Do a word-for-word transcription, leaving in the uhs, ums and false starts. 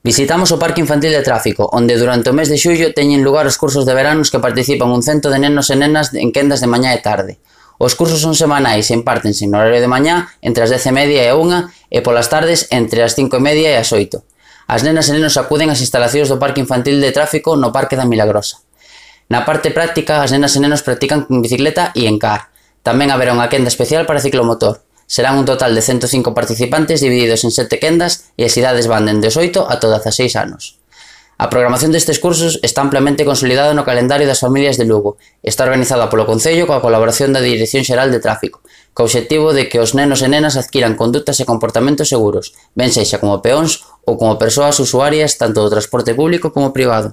Visitamos o Parque Infantil de Tráfico, onde durante o mes de xullo teñen lugar os cursos de verán nos que participan un cento de nenos e nenas en quendas de mañá e tarde. Os cursos son semanais e impártense no horario de mañá entre as dez e media e a unha e polas tardes entre as cinco e media e as oito. As nenas e nenos acuden ás instalacións do Parque Infantil de Tráfico no Parque da Milagrosa. Na parte práctica, as nenas e nenos practican con bicicleta e en car. Tamén haberá unha quenda especial para ciclomotor. Serán un total de cento cinco participantes divididos en sete quendas e as idades van dende os oito ata os dezaseis anos. A programación destes cursos está amplamente consolidada no calendario das familias de Lugo. Está organizada polo Concello coa colaboración da Dirección Xeral de Tráfico, co obxectivo de que os nenos e nenas adquiran condutas e comportamentos seguros, ben sexa como peóns ou como persoas usuarias tanto do transporte público como privado.